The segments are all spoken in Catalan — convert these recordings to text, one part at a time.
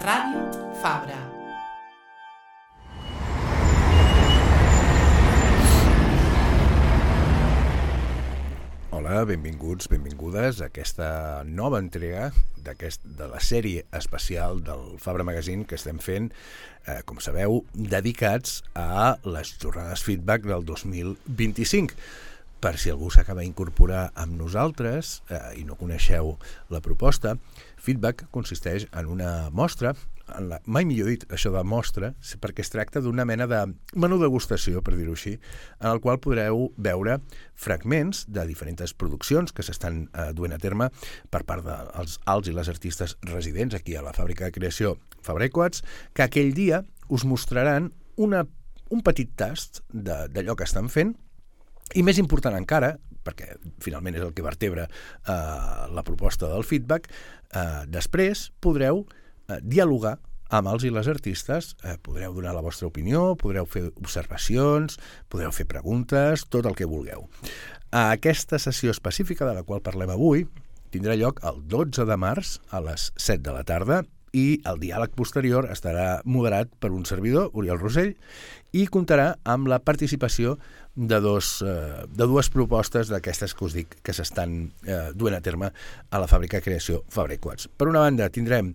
Ràdio Fabra. Hola, benvinguts, benvingudes a aquesta nova entrega de la sèrie especial del Fabra Magazine que estem fent, com sabeu, dedicats a les jornades feedback del 2025. Per si algú s'acaba d'incorporar amb nosaltres i no coneixeu la proposta, feedback consisteix en una mostra, mai millor dit això de mostra, perquè es tracta d'una mena de menú degustació, per dir-ho així, en el qual podreu veure fragments de diferents produccions que s'estan duent a terme per part dels i les artistes residents aquí a la fàbrica de creació Fabra i Coats, que aquell dia us mostraran un petit tast d'allò que estan fent. I més important encara, perquè finalment és el que vertebra la proposta del feedback, després podreu dialogar amb els i les artistes, podreu donar la vostra opinió, podreu fer observacions, podreu fer preguntes, tot el que vulgueu. Aquesta sessió específica de la qual parlem avui tindrà lloc el 12 de març a les 7 de la tarda i el diàleg posterior estarà moderat per un servidor, Oriol Rosell, i comptarà amb la participació de dues propostes d'aquestes que us dic que s'estan duent a terme a la fàbrica de creació Fabra i Coats. Per una banda tindrem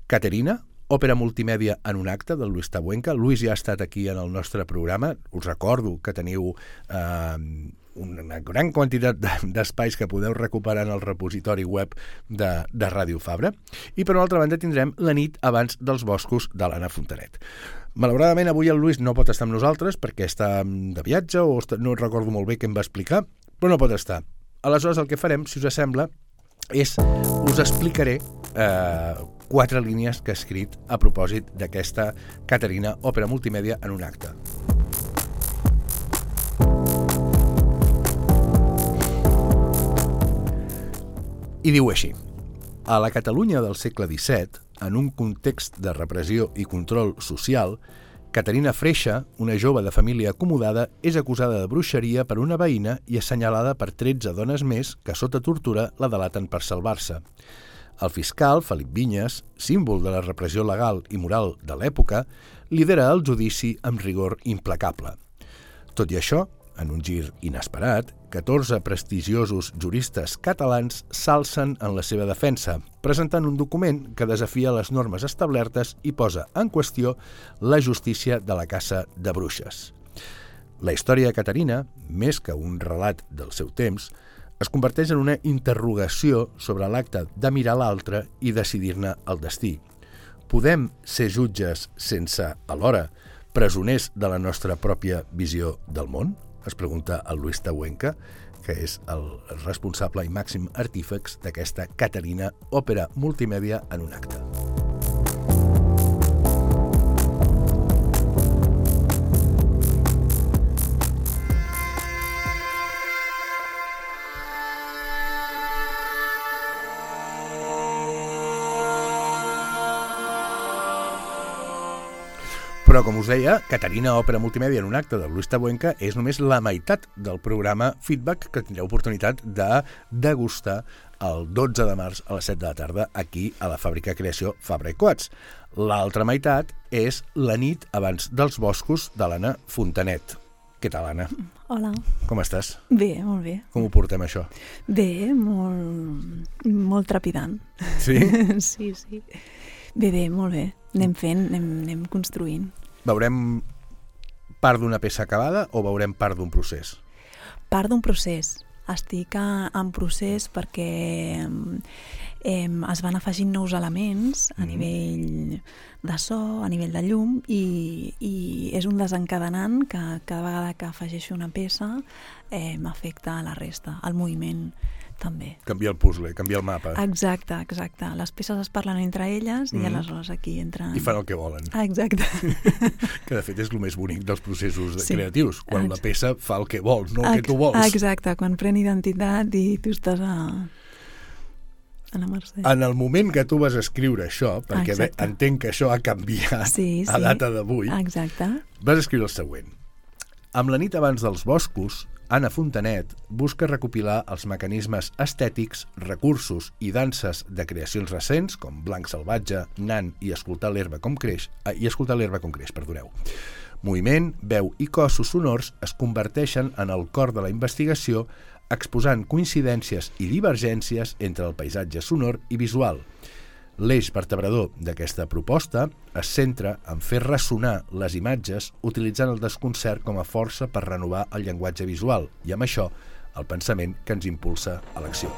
Caterina, òpera multimèdia en un acte, del Luis Tabuenca. Luis ja ha estat aquí en el nostre programa. Us recordo que teniu una gran quantitat d'espais que podeu recuperar en el repositori web de Ràdio Fabra. I per una altra banda tindrem La nit abans dels boscos de l'Anna Fontanet. Malauradament avui el Luis no pot estar amb nosaltres perquè està de viatge o no recordo molt bé què em va explicar, però no pot estar. Aleshores el que farem, si us sembla, és us explicaré 4 línies que he escrit a propòsit d'aquesta Caterina, òpera multimèdia en un acte. I diu així: a la Catalunya del segle XVII, en un context de repressió i control social, Caterina Freixa, una jove de família acomodada, és acusada de bruixeria per una veïna i assenyalada per 13 dones més que sota tortura la delaten per salvar-se. El fiscal, Felip Vinyes, símbol de la repressió legal i moral de l'època, lidera el judici amb rigor implacable. Tot i això, en un gir inesperat, 14 prestigiosos juristes catalans s'alcen en la seva defensa, presentant un document que desafia les normes establertes i posa en qüestió la justícia de la caça de bruixes. La història de Caterina, més que un relat del seu temps, es converteix en una interrogació sobre l'acte de mirar l'altre i decidir-ne el destí. Podem ser jutges sense, alhora, presoners de la nostra pròpia visió del món? Es pregunta el Luis Tabuenca, que és el responsable i màxim artífex d'aquesta Caterina, òpera multimèdia en un acte. Però, com us deia, Caterina, òpera multimèdia en un acte de Luis Tabuenca és només la meitat del programa Feedback que tindreu oportunitat de degustar el 12 de març a les 7 de la tarda aquí a la fàbrica de creació Fabra i Coats. L'altra meitat és La nit abans dels boscos de l'Anna Fontanet. Què tal, Anna? Hola. Com estàs? Bé, molt bé. Com ho portem, això? Bé, molt trepidant. Sí? Sí. Bé, molt bé. Anem fent, anem construint. Veurem part d'una peça acabada o veurem part d'un procés? Part d'un procés. Estic en procés perquè es van afegint nous elements a nivell de so, a nivell de llum i és un desencadenant que cada vegada que afegeixo una peça m'afecta a la resta, al moviment també. Canvia el puzzle, canvia el mapa. Exacte. Les peces es parlen entre elles i aleshores aquí entren... I fan el que volen. Exacte. Que de fet és el més bonic dels processos creatius, quan la peça fa el que vol, no el que tu vols. Exacte, quan pren identitat i tu estàs a la mercè. En el moment que tu vas escriure això, perquè entenc que això ha canviat a data d'avui, exacte, vas escriure el següent. Amb la nit abans dels boscos Anna Fontanet busca recopilar els mecanismes estètics, recursos i danses de creacions recents, com Blanc salvatge, Nan i Escoltar l'herba com creix, Moviment, veu i cossos sonors es converteixen en el cor de la investigació, exposant coincidències i divergències entre el paisatge sonor i visual. L'eix vertebrador d'aquesta proposta es centra en fer ressonar les imatges utilitzant el desconcert com a força per renovar el llenguatge visual i, amb això, el pensament que ens impulsa a l'acció.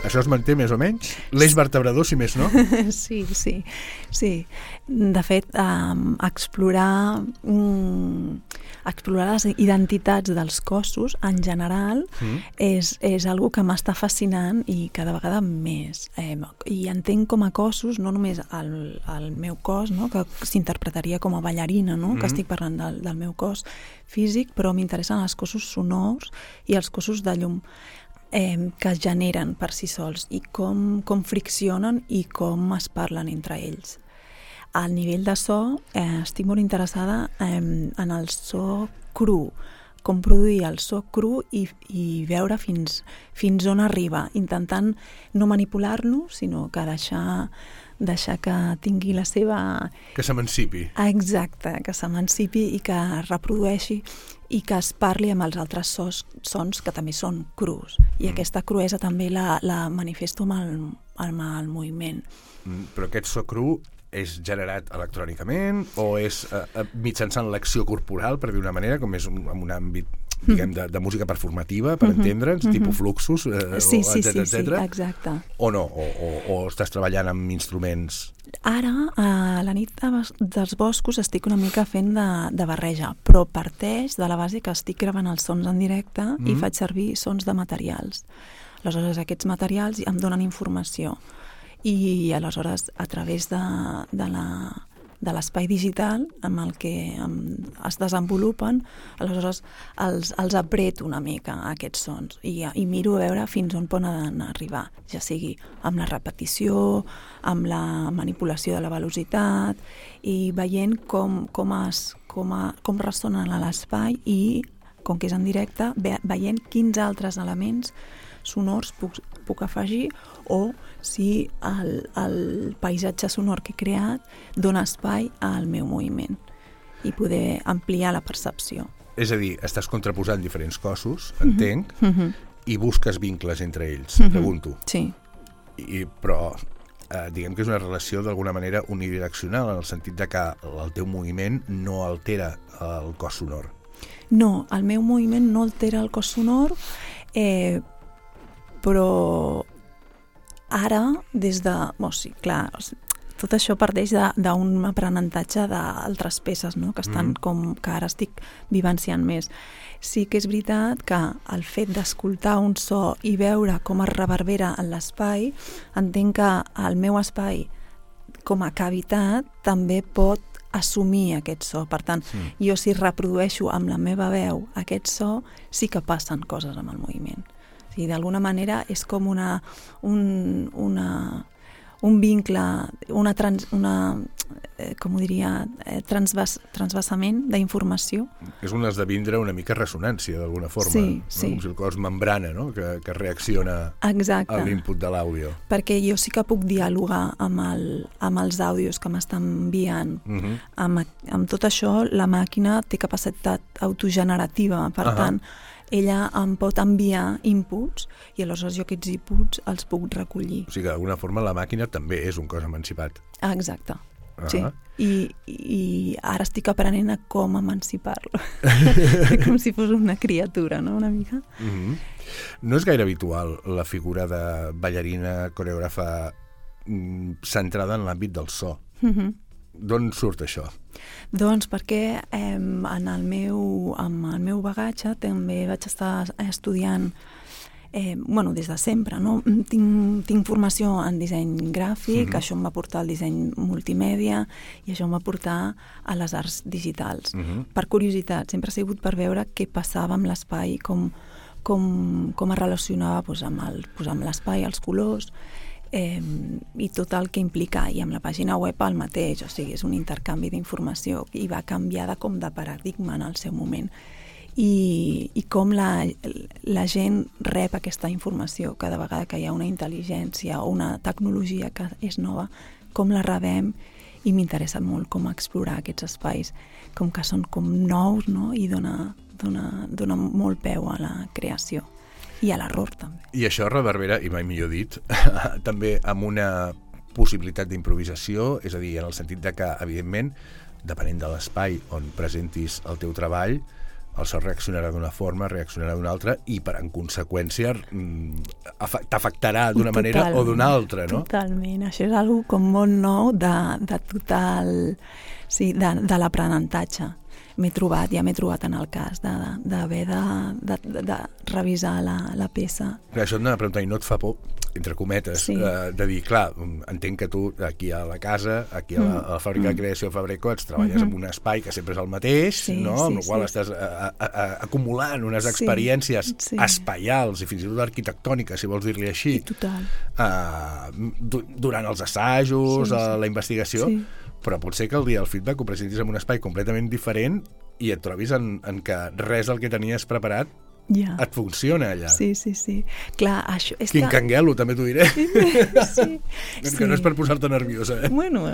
Això es manté més o menys? L'eix vertebrador, si més no? Sí. De fet, explorar les identitats dels cossos en general és algo que m'està fascinant i cada vegada més. I entenc com a cossos, no només el meu cos, no? Que s'interpretaria com a ballarina, no? Que estic parlant del meu cos físic, però m'interessen els cossos sonors i els cossos de llum que es generen per si sols i com friccionen i com es parlen entre ells. Al nivell de so, estic molt interessada en el so cru, com produir el so cru i veure fins on arriba, intentant no manipular-lo, sinó que deixar que tingui la seva... Que s'emancipi. Exacte, que s'emancipi i que reprodueixi i que es parli amb els altres sons que també són crus. I aquesta cruesa també la manifesto amb el moviment. Però aquest so cru és generat electrònicament o és mitjançant l'acció corporal, per dir una manera, com és en un àmbit diguem, de música performativa, per entendre'ns, tipus fluxus, sí, etcètera. Exacte. O no? O estàs treballant amb instruments? Ara, a la nit dels boscos, estic una mica fent de barreja, però parteix de la base que estic gravant els sons en directe i faig servir sons de materials. Aleshores, aquests materials em donen informació i aleshores, a través de l'espai digital amb el que es desenvolupen, aleshores els apreto una mica, aquests sons, i miro a veure fins on poden arribar, ja sigui amb la repetició, amb la manipulació de la velocitat, i veient com ressonen a l'espai i, com que és en directe, veient quins altres elements sonors puc afegir o si el paisatge sonor que he creat dona espai al meu moviment i poder ampliar la percepció. És a dir, estàs contraposant diferents cossos, entenc, i busques vincles entre ells, pregunto. Sí. Però diguem que és una relació d'alguna manera unidireccional, en el sentit de que el teu moviment no altera el cos sonor. No, el meu moviment no altera el cos sonor, però ara, des de... sí, clar, tot això parteix d'un aprenentatge d'altres peces, no? Que estan que ara estic vivenciant més. Sí que és veritat que el fet d'escoltar un so i veure com es reverbera en l'espai, entenc que el meu espai com a cavitat també pot assumir aquest so. Per tant, jo si reprodueixo amb la meva veu aquest so, sí que passen coses amb el moviment. I d'alguna manera és com un vincle, com ho diria, transvasament d'informació. És un esdevindre una mica ressonància, d'alguna forma. Sí. Com si el cos membrana, no? que reacciona a l'input de l'àudio. Perquè jo sí que puc dialogar amb els àudios que m'estan enviant. Amb tot això, la màquina té capacitat autogenerativa, per tant, ella em pot enviar inputs i aleshores jo aquests inputs els puc recollir. O sigui que d'alguna forma la màquina també és un cos emancipat. Exacte, sí. I ara estic aprenent a com emancipar-lo. Com si fos una criatura, no?, una mica. No és gaire habitual la figura de ballarina, coreògrafa centrada en l'àmbit del so. D'on surt això? Doncs perquè amb el meu bagatge també vaig estar estudiant des de sempre, no? Tinc formació en disseny gràfic, això em va portar al disseny multimèdia i això em va portar a les arts digitals. Per curiositat, sempre ha sigut per veure què passava amb l'espai, com es relacionava amb l'espai, els colors, i tot el que implica, i amb la pàgina web el mateix, o sigui, és un intercanvi d'informació i va canviar com de paradigma en el seu moment. I com la gent rep aquesta informació cada vegada que hi ha una intel·ligència o una tecnologia que és nova, com la rebem, i m'interessa molt com explorar aquests espais, com que són com nous, no? I dona molt peu a la creació i a l'error també. I això reverbera, i mai millor dit, també amb una possibilitat d'improvisació, és a dir, en el sentit de que, evidentment, depenent de l'espai on presentis el teu treball, el so reaccionarà d'una forma, reaccionarà d'una altra, i en conseqüència t'afectarà d'una manera o d'una altra, no? Totalment, això és una com molt nou de total, sí, de l'aprenentatge. Ja m'he trobat en el cas d'haver de revisar la peça. Clar, això et anava a preguntar, i no et fa por, entre cometes, de dir, clar, entenc que tu aquí a la casa, aquí a la fàbrica de creació Fabrecots, treballes en un espai que sempre és el mateix, no? Amb el qual estàs acumulant unes experiències espaials i fins i tot arquitectòniques, si vols dir-li així, durant els assajos, la investigació, però pot ser que el dia del feedback ho presentis en un espai completament diferent i et trobis en que res del que tenies preparat et funciona allà. Sí. Clar, això... Quin canguelo, també t'ho diré. Sí. Que no és per posar-te nerviosa, Bueno,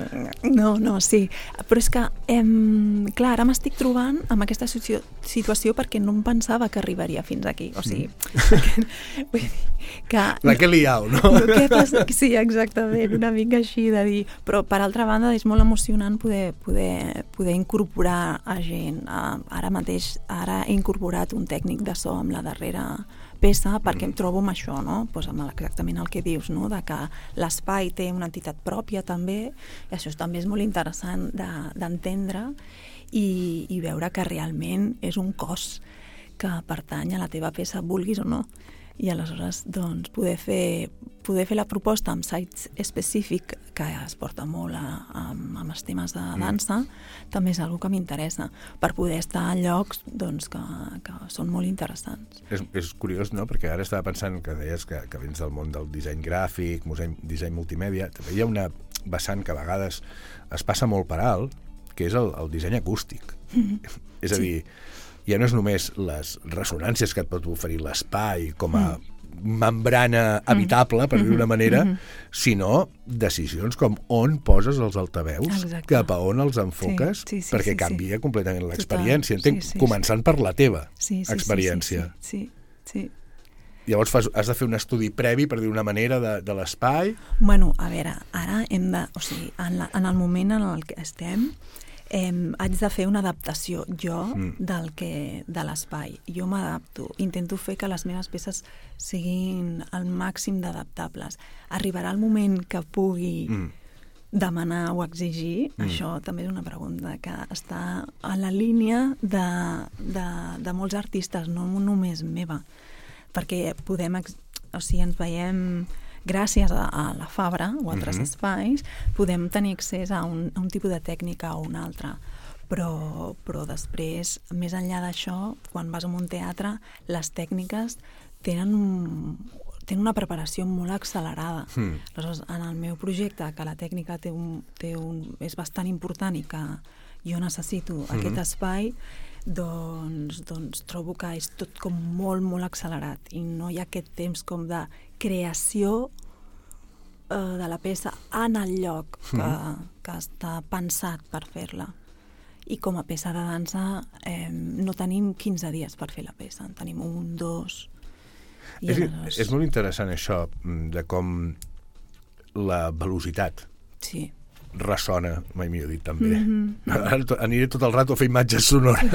no, sí. Però és que, clar, ara m'estic trobant amb aquesta situació perquè no em pensava que arribaria fins aquí. O sigui, vull dir que... La que liau, no? Què passa? Sí, exactament, una mica així de dir... Però, per altra banda, és molt emocionant poder incorporar a gent. Ara mateix, he incorporat un tècnic de so amb la darrera peça, perquè em trobo amb això, no? Pues amb exactament el que dius, no? De que l'espai té una entitat pròpia també, i això també és molt interessant d'entendre i veure que realment és un cos que pertany a la teva peça, vulguis o no. I aleshores, doncs, poder fer la proposta amb sites específic, que es porta molt amb els temes de dansa, també és una que m'interessa, per poder estar en llocs doncs, que són molt interessants. És curiós, no?, perquè ara estava pensant que deies que vens del món del disseny gràfic, disseny multimèdia, també hi ha una vessant que a vegades es passa molt per alt, que és el disseny acústic. És a dir, ja no és només les ressonàncies que et pot oferir l'espai com a membrana habitable, per dir d'una manera, sinó decisions com on poses els altaveus, cap a on els enfoques, perquè canvia completament l'experiència. Entenc, començant per la teva experiència. Sí. Llavors has de fer un estudi previ, per dir d'una manera, de l'espai? Bueno, a veure, ara hem de... O sigui, en el moment en el que estem, haig de fer una adaptació jo de l'espai. Jo m'adapto, intento fer que les meves peces siguin el màxim d'adaptables. Arribarà el moment que pugui demanar o exigir, això també és una pregunta que està a la línia de molts artistes, no només meva, perquè ens veiem... Gràcies a la Fabra o altres espais, podem tenir accés a un tipus de tècnica o una altra. Però després, més enllà d'això, quan vas a un teatre, les tècniques tenen una preparació molt accelerada. Aleshores, en el meu projecte, que la tècnica és bastant important i que jo necessito aquest espai, doncs trobo que és tot com molt, molt accelerat i no hi ha aquest temps com de creació de la peça en el lloc que està pensat per fer-la. I com a peça de dansa no tenim 15 dies per fer la peça, en tenim 1, 2... És molt interessant això, de com la velocitat ressona, mai millor dit, també. Aniré tot el rato a fer imatges sonores.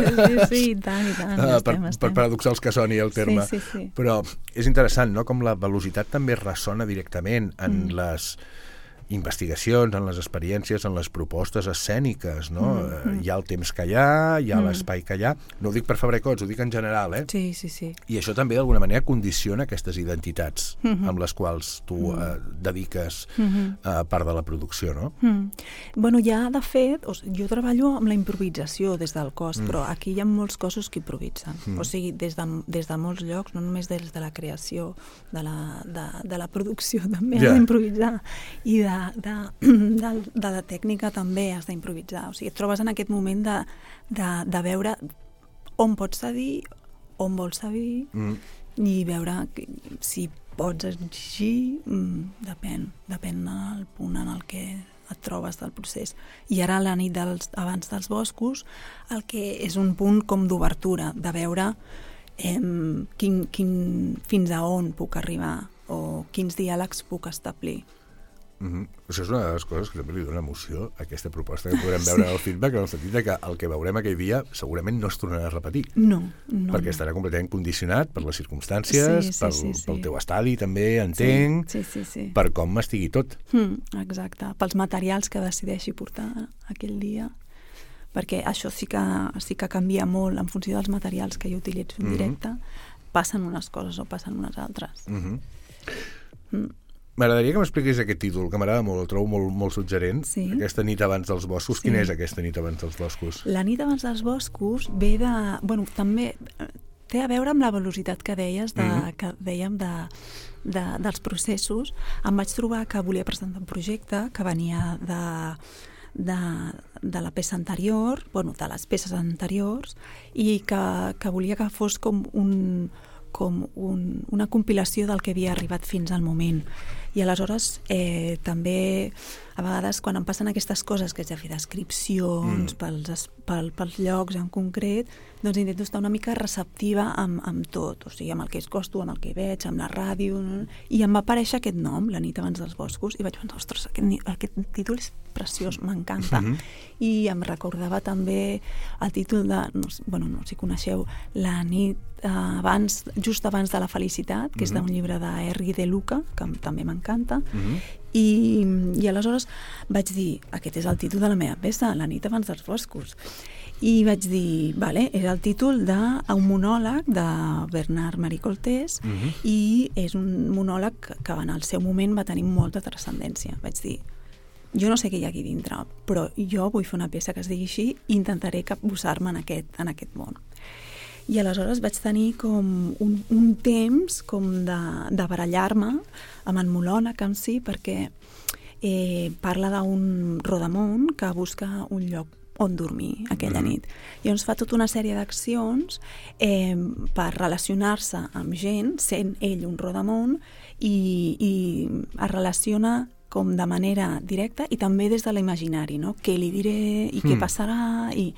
Sí, i tant. Per paradoxals que soni el terme. Sí. Però és interessant, no?, com la velocitat també ressona directament en les investigacions, en les experiències, en les propostes escèniques, no? Hi ha el temps que hi ha l'espai que hi ha. No ho dic per Fabra-i-Coats, ho dic en general, Sí. I això també d'alguna manera condiciona aquestes identitats amb les quals tu dediques part de la producció, no? Bueno, ja, de fet, jo treballo amb la improvisació des del cos, però aquí hi ha molts cossos que improvisen. O sigui, des de molts llocs, no només des de la creació, de la producció també has d'improvisar, i de la tècnica també has d'improvisar. O sigui, et trobes en aquest moment de veure on pots cedir, on vols cedir, i veure si pots exigir, depèn del punt en el que et trobes del procés. I ara, la nit abans dels boscos, el que és un punt com d'obertura, de veure fins a on puc arribar o quins diàlegs puc establir. Això és una de les coses que també li dona emoció a aquesta proposta que podrem veure en el feedback, en el sentit que el que veurem aquell dia segurament no es tornarà a repetir. No. Perquè estarà completament condicionat per les circumstàncies, pel teu estadi també, entenc, per com estigui tot. Exacte, pels materials que decideixi portar aquell dia, perquè això sí que canvia molt en funció dels materials que jo utilitzo en directe, passen unes coses o passen unes altres. M'agradaria que m'expliquis aquest títol, que m'agrada molt, el trobo molt suggerent. Aquesta nit abans dels boscos. Quina és aquesta nit abans dels boscos? La nit abans dels boscos ve de... Bueno, també té a veure amb la velocitat que deies, que dèiem dels processos. Em vaig trobar que volia presentar un projecte que venia de la peça anterior, bueno, de les peces anteriors, i que volia que fos com una compilació del que havia arribat fins al moment. I aleshores també a vegades quan em passen aquestes coses que haig de fer descripcions pels llocs en concret, doncs intento estar una mica receptiva amb tot, o sigui, amb el que escosto, amb el que veig, amb la ràdio, i em va aparèixer aquest nom, La nit abans dels boscos, i vaig pensar, ostres, aquest títol és preciós, m'encanta. I em recordava també el títol de, no sé si coneixeu, La nit just abans de la felicitat, que és d'un llibre de Henri de Luca, que també m'encanta, i aleshores vaig dir, aquest és el títol de la meva peça, La nit abans dels boscos, i vaig dir, vale, és el títol d'un monòleg de Bernard Marie Coltés, i és un monòleg que en el seu moment va tenir molta transcendència. Vaig dir, jo no sé què hi ha aquí dintre, però jo vull fer una peça que es digui així i intentaré capbussar-me en aquest món. I aleshores vaig tenir com un temps com de barallar-me amb el monòleg en si, perquè parla d'un rodamón que busca un lloc on dormir aquella nit. Llavors fa tota una sèrie d'accions per relacionar-se amb gent, sent ell un rodamón, i es relaciona com de manera directa i també des de l'imaginari, no? Què li diré i què passarà, i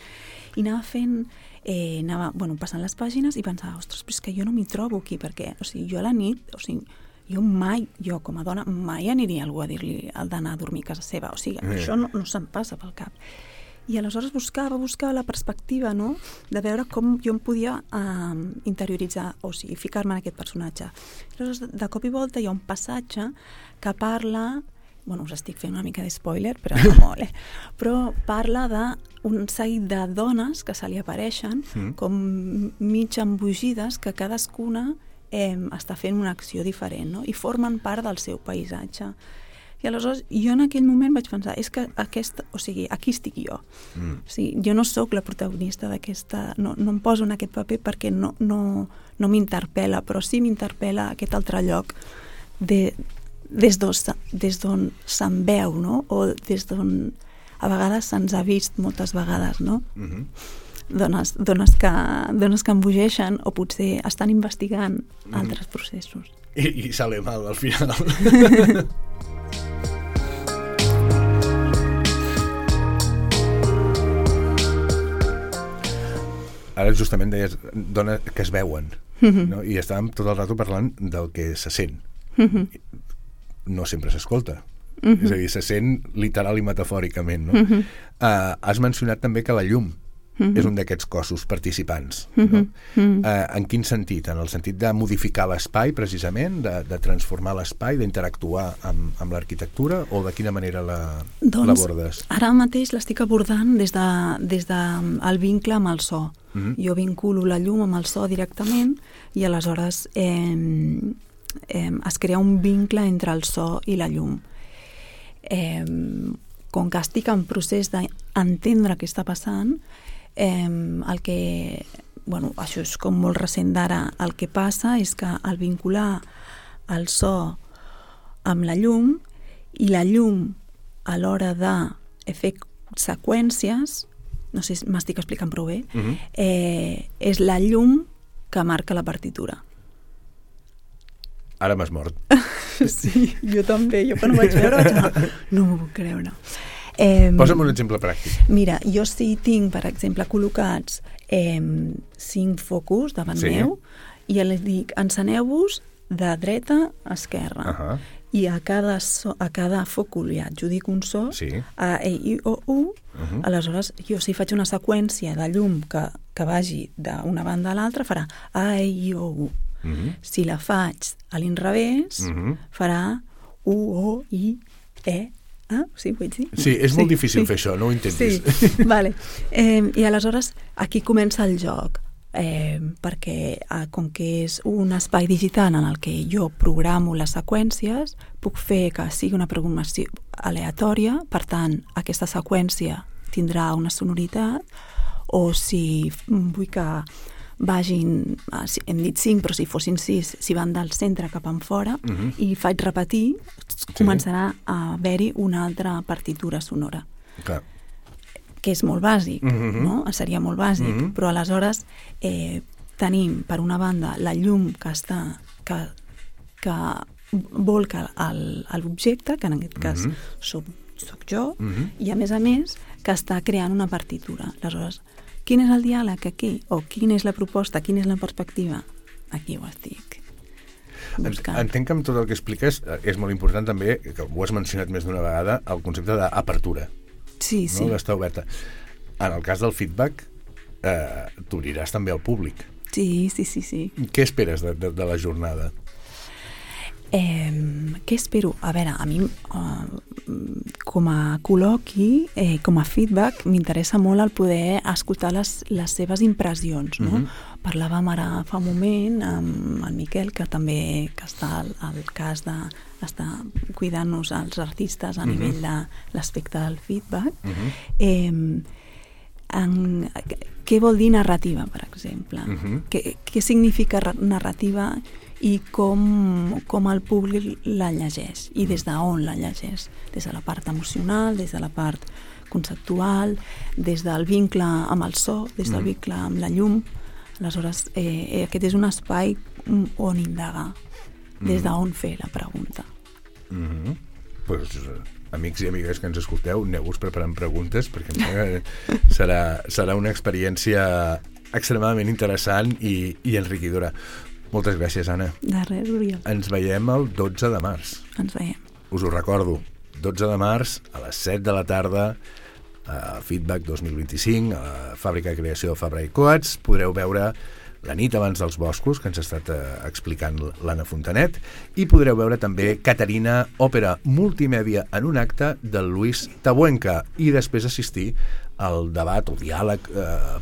anava fent... anava passant les pàgines i pensava, ostres, però és que jo no m'hi trobo aquí, perquè jo a la nit, jo com a dona mai aniria a algú a dir-li el d'anar a dormir a casa seva, o sigui, això no se'm passa pel cap. I aleshores buscava la perspectiva, no?, de veure com jo em podia interioritzar, o sigui, ficar-me en aquest personatge. Aleshores, de cop i volta hi ha un passatge que parla... Bueno, us estic fent una mica de spoiler, però no molt, però parla d'un seguit de dones que se li apareixen com mig embogides, que cadascuna està fent una acció diferent, no? I formen part del seu paisatge. I aleshores jo en aquell moment vaig pensar, és que aquí estic jo. O sigui, jo no sóc la protagonista d'aquesta... No em poso en aquest paper perquè no m'interpel·la, però sí m'interpel·la aquest altre lloc des d'on se'n veu, no? O des d'on a vegades se'ns ha vist moltes vegades, no? Dones que embogeixen o potser estan investigant altres processos. I sale mal al final. Ara justament deies dones que es veuen, no? I estàvem tot el rato parlant del que se sent. No sempre s'escolta. És a dir, se sent literal i metafòricament, no? Has mencionat també que la llum és un d'aquests cossos participants. No? En quin sentit? En el sentit de modificar l'espai, precisament, de transformar l'espai, d'interactuar amb l'arquitectura, o de quina manera l'abordes? Ara mateix l'estic abordant des del vincle amb el so. Jo vinculo la llum amb el so directament i aleshores es crea un vincle entre el so i la llum. Com que estic en procés d'entendre què està passant, això és com molt recent d'ara, el que passa és que al vincular el so amb la llum i la llum a l'hora de fer seqüències, no sé si m'estic explicant prou bé, és la llum que marca la partitura. Ara m'has mort. Sí, jo també. Jo quan ho vaig veure no m'ho puc creure. Posa'm un exemple pràctic. Mira, jo sí tinc, per exemple, col·locats 5 focus davant meu i els dic, enceneu-vos de dreta a esquerra. I a cada focus li adjudic un so, A, E, I, O, U. Aleshores, jo si faig una seqüència de llum que vagi d'una banda a l'altra, farà A, E, I, O, U. Si la faig a l'inrevés, farà U, O, I, E, sí, vull dir? Sí, és molt difícil fer això, no ho intentis. Sí, vale. I aleshores aquí comença el joc, perquè com que és un espai digital en el que jo programo les seqüències, puc fer que sigui una programació aleatòria, per tant, aquesta seqüència tindrà una sonoritat, o si vull que vagin, hem dit 5, però si fossin 6, si van del centre cap en fora, i faig repetir, començarà a haver-hi una altra partitura sonora. Clar. Que és molt bàsic, no? Seria molt bàsic, però aleshores tenim, per una banda, la llum que volca l'objecte, que en aquest cas soc jo, i a més, que està creant una partitura. Aleshores, quin és el diàleg aquí? O quina és la proposta? Quina és la perspectiva? Aquí ho estic buscant. Entenc que amb tot el que expliques és molt important també, que ho has mencionat més d'una vegada, el concepte d'apertura. Sí, sí. D'estar oberta. En el cas del feedback, t'obriràs també al públic. Sí. Què esperes de la jornada? Què espero? A veure, a mi com a col·loqui, com a feedback, m'interessa molt el poder escoltar les seves impressions, no? Parlàvem ara fa un moment amb el Miquel, que també està al cas d'estar cuidant-nos els artistes a nivell de l'aspecte del feedback. Què vol dir narrativa, per exemple? Què significa narrativa i com el públic la llegeix i des d'on la llegeix, des de la part emocional, des de la part conceptual, des del vincle amb el so, des del vincle amb la llum. Aleshores, aquest és un espai on indagar, des d'on fer la pregunta. Pues, amics i amigues que ens escolteu, aneu-vos preparant preguntes, perquè serà una experiència extremadament interessant i enriquidora. Moltes gràcies, Anna. De res, Oriol. Ens veiem el 12 de març. Ens veiem. Us ho recordo, 12 de març, a les 7 de la tarda, a Feedback 2025, a la Fàbrica de Creació Fabra i Coats. Podreu veure La nit abans dels boscos, que ens ha estat explicant l'Anna Fontanet, i podreu veure també Caterina, òpera multimèdia en un acte del Luis Tabuenca, i després assistir al debat o diàleg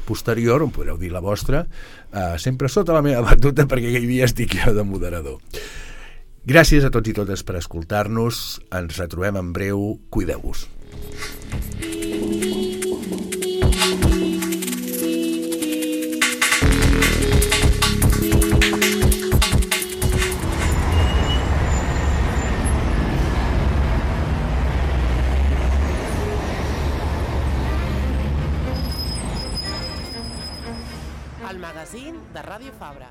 posterior, on podreu dir la vostra, sempre sota la meva batuta, perquè aquell dia estic jo de moderador. Gràcies a tots i totes per escoltar-nos. Ens retrobem en breu. Cuideu-vos. El magazín de Ràdio Fabra.